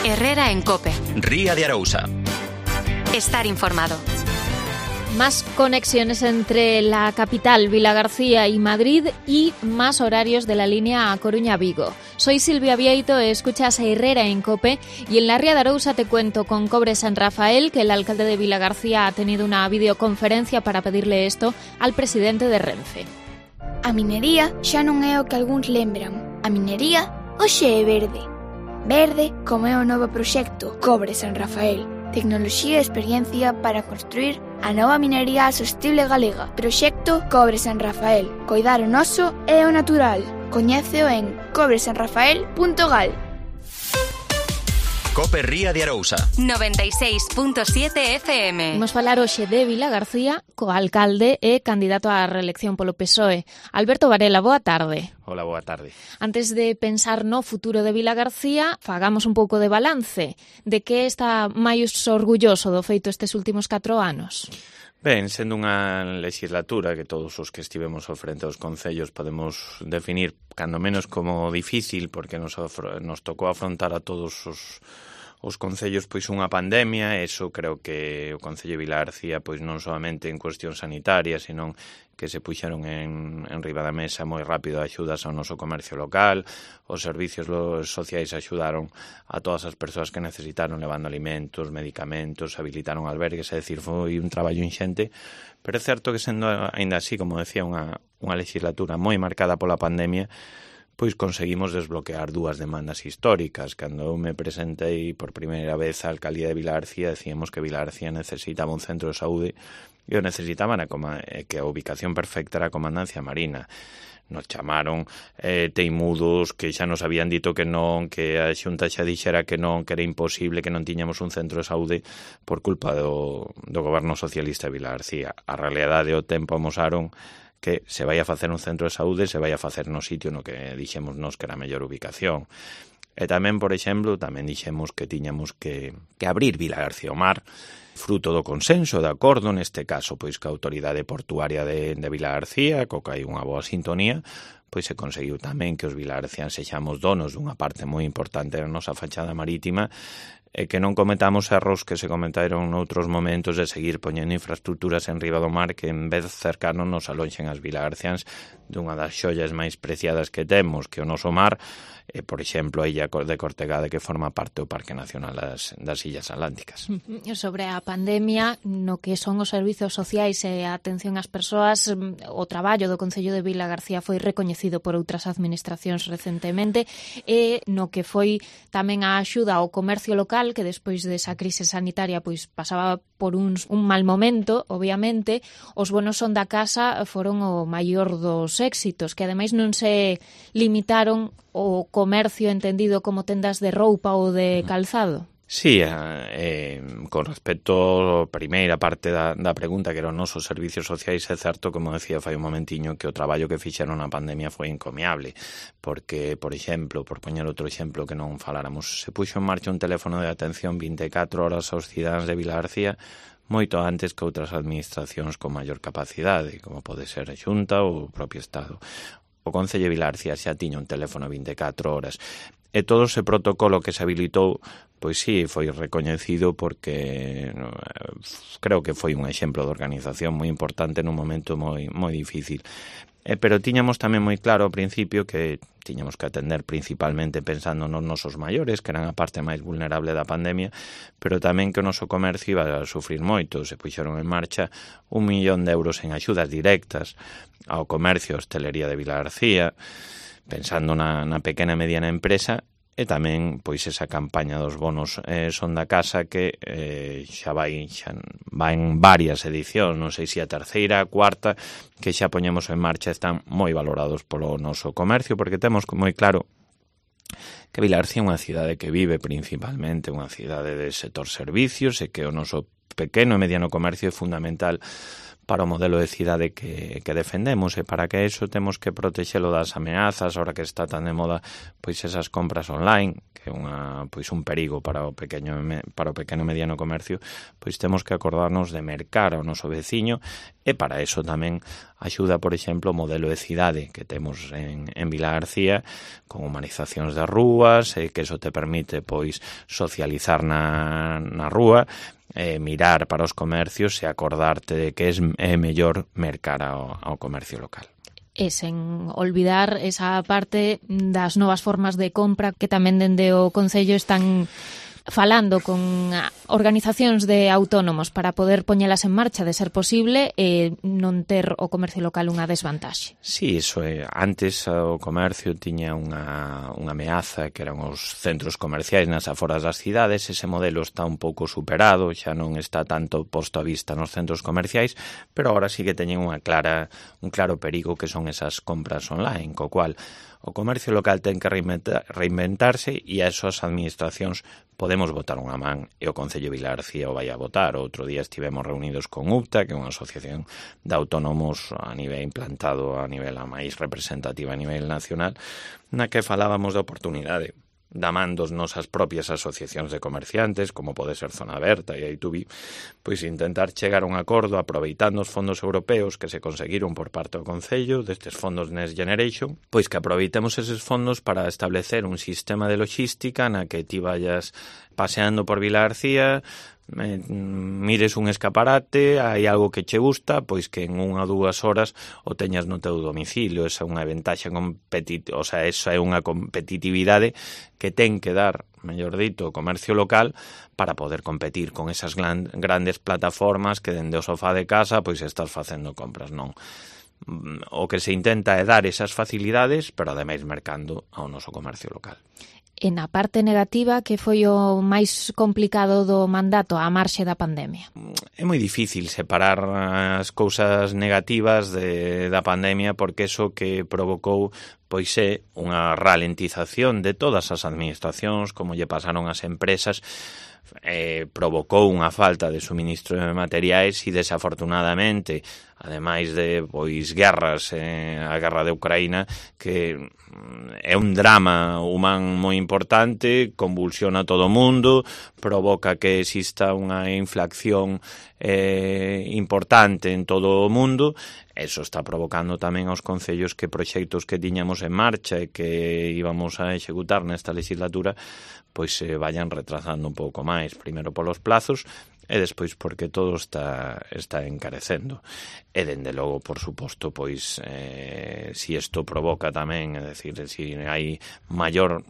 Herrera en COPE. Ría de Arousa. Estar informado. Más conexiones entre la capital, Vilagarcía y Madrid y más horarios de la línea A Coruña-Vigo. Soy Silvia Vieito, escuchas a Herrera en COPE y en la Ría de Arousa te cuento con Cobre San Rafael que el alcalde de Vilagarcía ha tenido una videoconferencia para pedirle esto al presidente de Renfe. A minería xa non é o que algúns lembran. A minería hoxe é verde. Verde como é o novo proxecto Cobre San Rafael. Tecnoloxía e experiencia para construir a nova minería sostible galega. Proxecto Cobre San Rafael. Coidar o noso e o natural. Coñéceo en cobresanrafael.gal. COPE Ría de Arousa 96.7 FM. Imos falar hoxe de Vilagarcía co alcalde e candidato á reelección polo PSOE. Alberto Varela, boa tarde. Hola, boa tarde. Antes de pensar no futuro de Vilagarcía, fagamos un pouco de balance. De que está máis orgulloso do feito estes últimos 4 anos? Ben, sendo unha legislatura que todos os que estivemos ao frente dos concellos podemos definir cando menos como difícil, porque nos tocou afrontar a todos os concellos pois unha pandemia. Eso creo que o Concello de Vilagarcía pois non solamente en cuestión sanitaria, senón que se puxeron en riba da mesa moi rápido axudas ao noso comercio local, os servicios sociais axudaron a todas as persoas que necesitaron levando alimentos, medicamentos, habilitaron albergues, é dicir, foi un traballo inxente, pero é certo que sendo aínda así, como decía, unha legislatura moi marcada pola pandemia, pois conseguimos desbloquear 2 demandas históricas. Cando eu me presentei por primeira vez á alcaldía de Vilagarcía, decíamos que Vilagarcía necesitaba un centro de saúde e o necesitaban que a ubicación perfecta era a Comandancia Marina. Nos chamaron teimudos, que xa nos habían dito que non, que a Xunta xa dixera que non, que era imposible, que non tiñamos un centro de saúde por culpa do goberno socialista de Vilagarcía. A realidade e o tempo amosaron que se vai a facer un centro de saúde, se vai a facer no sitio no que dixemos nos que era a mellor ubicación. E tamén, por exemplo, tamén dixemos que tiñamos que abrir Vilagarcía ao mar, fruto do consenso, de acordo, neste caso, pois que a autoridade portuaria de Vilagarcía, co que hai unha boa sintonía, pois se conseguiu tamén que os vilagarciáns sexamos donos dunha parte moi importante da nosa fachada marítima, e que non cometamos erros que se cometaron noutros momentos de seguir poñendo infraestructuras en riba do mar que en vez de cercanos nos alonxen as vilagarciáns dunha das xollas máis preciadas que temos, que o noso mar, por exemplo, a illa de Cortegada, que forma parte do Parque Nacional das Illas Atlánticas. Sobre a pandemia, no que son os servizos sociais e a atención ás persoas, o traballo do Concello de Vilagarcía foi recoñecido por outras administracións recentemente, e no que foi tamén a axuda ao comercio local, que despois desa crise sanitaria pois pasaba por un mal momento, obviamente, os bonos son da casa foron o maior dos éxitos, que ademais non se limitaron ao comercio entendido como tendas de roupa ou de calzado. Sí, con respecto á primeira parte da pregunta, que eran os nosos servicios sociais, é certo, como decía fai un momentiño, que o traballo que fixeron na pandemia foi encomiable, porque, por exemplo, por poñer outro exemplo que non faláramos, se puxo en marcha un teléfono de atención 24 horas aos cidadáns de Vilagarcía, moito antes que outras administracións con maior capacidade, como pode ser a Xunta ou o propio Estado. O Concello de Vilagarcía xa tiña un teléfono 24 horas, e todo ese protocolo que se habilitou, pois sí, foi recoñecido porque creo que foi un exemplo de organización moi importante nun momento moi difícil. Pero tiñamos tamén moi claro ao principio que tiñamos que atender principalmente pensando nos nosos maiores, que eran a parte máis vulnerable da pandemia, pero tamén que o noso comercio iba a sufrir moito. Se puxeron en marcha 1 millón de euros en axudas directas ao comercio e hostelería de Vilagarcía, pensando na pequena e mediana empresa, e tamén pois esa campaña dos bonos son da casa que xa vai en varias edicións, non sei se a terceira, a cuarta, que xa poñemos en marcha, están moi valorados polo noso comercio, porque temos moi claro que Vilagarcía é unha cidade que vive principalmente unha cidade de sector servicios e que o noso pequeno e mediano comercio é fundamental para o modelo de cidade que defendemos, e para que eso temos que protexelo das ameazas, ahora que está tan de moda pois esas compras online, que é un perigo para o pequeno e mediano comercio, pois temos que acordarnos de mercar ao noso veciño, e para eso tamén axuda, por exemplo, o modelo de cidade que temos en Vilagarcía, con humanizacións das rúas, que eso te permite pois socializar na rúa, mirar para os comercios e acordarte de que é mellor mercar ao comercio local. E sen olvidar esa parte das novas formas de compra que tamén dende o Concello están falando con organizacións de autónomos para poder poñelas en marcha de ser posible e non ter o comercio local unha desvantaxe. Sí, iso é. Antes o comercio tiña unha ameaza que eran os centros comerciais nas aforas das cidades. Ese modelo está un pouco superado, xa non está tanto posto a vista nos centros comerciais, pero agora sí que teñen un claro perigo que son esas compras online, co cual o comercio local ten que reinventarse e a esas administracións podemos botar unha man, e o Concello de Vilagarcía o vai a botar. Outro día estivemos reunidos con UPTA, que é unha asociación de autónomos a nivel implantado, a nivel a máis representativa a nivel nacional, na que falábamos da oportunidade da man dos nosas propias asociacións de comerciantes, como pode ser Zona Aberta e A2B, pois intentar chegar a un acordo aproveitando os fondos europeos que se conseguiron por parte do Concello, destes fondos Next Generation, pois que aproveitemos eses fondos para establecer un sistema de logística na que ti vayas paseando por Vilagarcía, mires un escaparate, hai algo que che gusta, pois que en 1 ou 2 horas o teñas no teu domicilio. Esa é unha ventaxa esa é unha competitividade que ten que dar, mellor dito, o comercio local para poder competir con esas grandes plataformas que dende o sofá de casa pois estás facendo compras, non. O que se intenta é dar esas facilidades, pero ademais mercando ao noso comercio local. E na parte negativa, que foi o máis complicado do mandato á marxe da pandemia? É moi difícil separar as cousas negativas da pandemia, porque eso que provocou pois é unha ralentización de todas as administracións, como lle pasaron as empresas, provocou unha falta de suministro de materiais e, desafortunadamente, ademais de guerras, a guerra de Ucraína, que é un drama humano moi importante, convulsiona todo o mundo, provoca que exista unha inflación importante en todo o mundo. Eso está provocando tamén aos concellos que proxectos que tiñamos en marcha e que íbamos a executar nesta legislatura pois se vayan retrasando un pouco máis, primeiro polos plazos e despois porque todo está encarecendo. E dende logo, por suposto, pois si isto provoca tamén, é dicir, si hai maior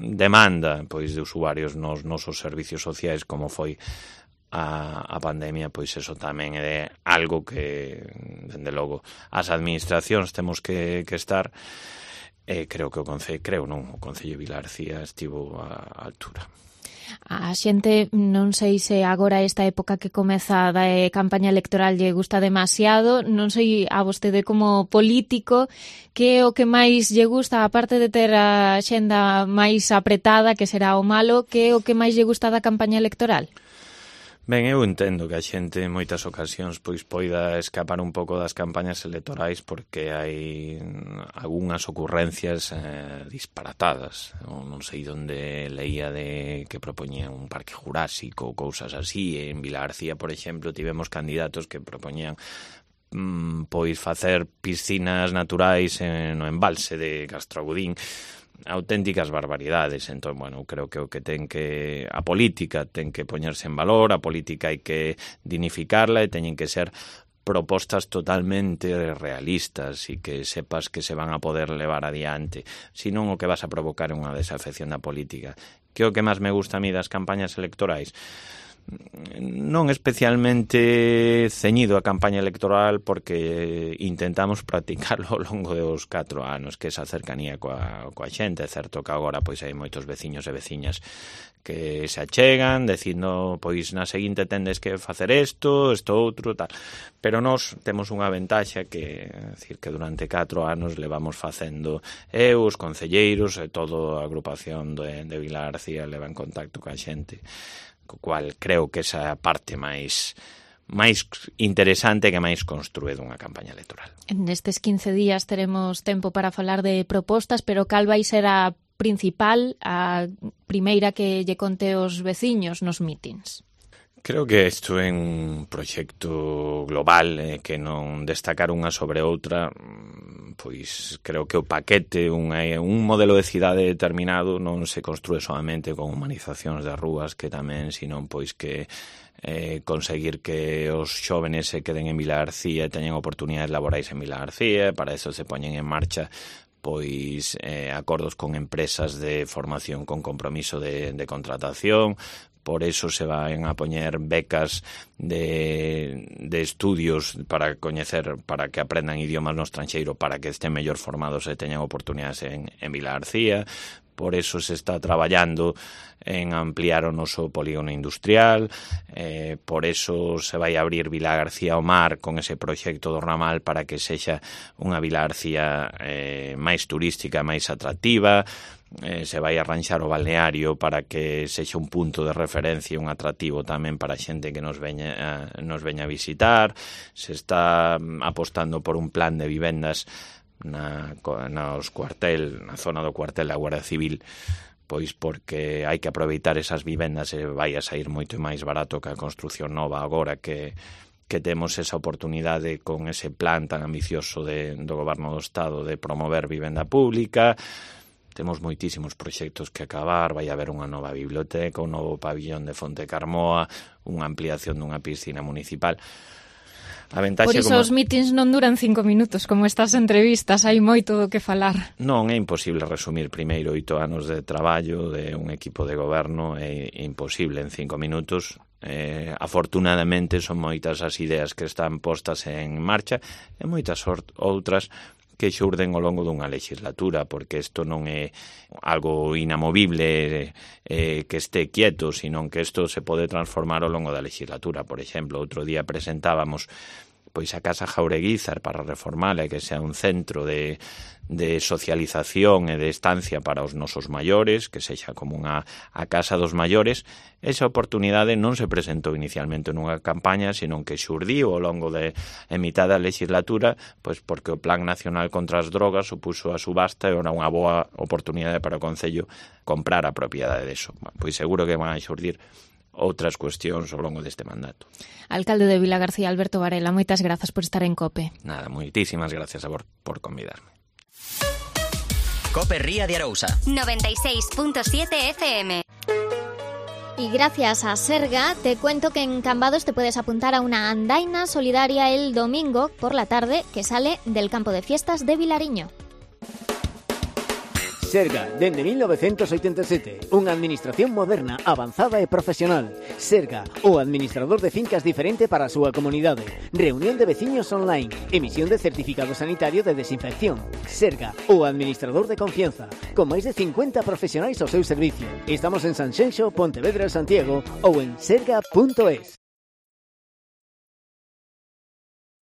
demanda pois de usuarios nos nosos servicios sociais, como foi a pandemia, pois eso tamén é algo que, dende logo, as administracións temos que estar. Creo que o Concello de Vilagarcía estivo á altura. A xente, non sei se agora esta época que comeza da campaña electoral lle gusta demasiado, non sei a vostede como político que é o que máis lle gusta, aparte de ter a xenda máis apretada, que será o malo, que é o que máis lle gusta da campaña electoral? Ben, eu entendo que a xente en moitas ocasións pois poida escapar un pouco das campañas electorais porque hai algunhas ocurrencias disparatadas. Non sei onde leía de que propoñían un parque jurásico ou cousas así. En Vilagarcía, por exemplo, tivemos candidatos que propoñían pois facer piscinas naturais no embalse de Castragudín, auténticas barbaridades. Entón, bueno, creo que o que a política ten que poñerse en valor, a política hai que dignificarla e teñen que ser propostas totalmente realistas e que sepas que se van a poder levar adiante. Senón o que vas a provocar é unha desafección da política. Que é o que máis me gusta a mí das campañas electorais? Non especialmente ceñido a campaña electoral, porque intentamos practicarlo ao longo dos 4 anos, que esa cercanía coa xente. É certo que agora pois hai moitos veciños e veciñas que se achegan dicindo pois na seguinte tendes que facer isto outro, tal. Pero nós temos unha ventaxa que, é dicir, que durante 4 anos levamos facendo os concelleiros e toda a agrupación de Vilagarcía leva en contacto coa xente co cual creo que esa é a parte máis interesante que máis construe dunha campaña electoral. Nestes 15 días teremos tempo para falar de propostas, pero cal vai ser a principal, a primeira que lle conte os veciños nos mítins? Creo que isto é un proxecto global que non destacar unha sobre outra, pois creo que o paquete, un modelo de cidade determinado non se construe solamente con humanizacións das rúas, que tamén, senón pois que conseguir que os xóvenes se queden en Vilagarcía e teñan oportunidades laborais en Vilagarcía, para eso se poñen en marcha pois acordos con empresas de formación con compromiso de contratación. Por eso se van a poñer becas de estudios para que aprendan idiomas no estranxeiro, para que estén mellor formados e teñan oportunidades en Vilagarcía. Por eso se está traballando en ampliar o noso polígono industrial, por eso se vai abrir Vilagarcía ao mar con ese proxecto do ramal para que sexa unha Vilagarcía máis turística, máis atractiva. Se vai arranxar o balneario para que sexa un punto de referencia, un atractivo tamén para a xente que nos veña a visitar. Se está apostando por un plan de vivendas na zona do cuartel da Guardia Civil, pois porque hai que aproveitar esas vivendas e vai a sair moito máis barato que a construción nova agora que temos esa oportunidade con ese plan tan ambicioso do Goberno do Estado de promover vivenda pública. Temos moitísimos proxectos que acabar, vai haber unha nova biblioteca, un novo pabillón de Fonte Carmoa, unha ampliación dunha piscina municipal. Por iso os mítins non duran 5 minutos, como estas entrevistas, hai moito do que falar. Non, é imposible resumir primeiro 8 anos de traballo de un equipo de goberno, é imposible en 5 minutos. Afortunadamente son moitas as ideas que están postas en marcha e moitas outras que xurden ao longo dunha legislatura, porque isto non é algo inamovible que este quieto, sino que isto se pode transformar ao longo da legislatura. Por exemplo, outro día presentábamos pois a Casa Jaureguizar para reformala e que sea un centro de socialización e de estancia para os nosos maiores, que sexa como a Casa dos Maiores. Esa oportunidade non se presentou inicialmente nunha campaña, senón que xurdiu ao longo de mitad da legislatura, pois porque o Plan Nacional contra as Drogas supuso a subasta e era unha boa oportunidade para o Concello comprar a propiedade deso. Pois seguro que van a xurdir outras cuestións ao longo deste mandato. Alcalde de Vilagarcía, Alberto Varela, moitas grazas por estar en COPE. Nada, moitísimas gracias por convidarme. COPE Ría de Arousa 96.7 FM. Y gracias a Serga, te cuento que en Cambados te puedes apuntar a una andaina solidaria el domingo por la tarde que sale del campo de fiestas de Vilariño. Serga, dende 1987, unha administración moderna, avanzada e profesional. Serga, o administrador de fincas diferente para a súa comunidade. Reunión de veciños online, emisión de certificado sanitario de desinfección. Serga, o administrador de confianza, con máis de 50 profesionais ao seu servicio. Estamos en Sanxenxo, Pontevedra e Santiago ou en serga.es.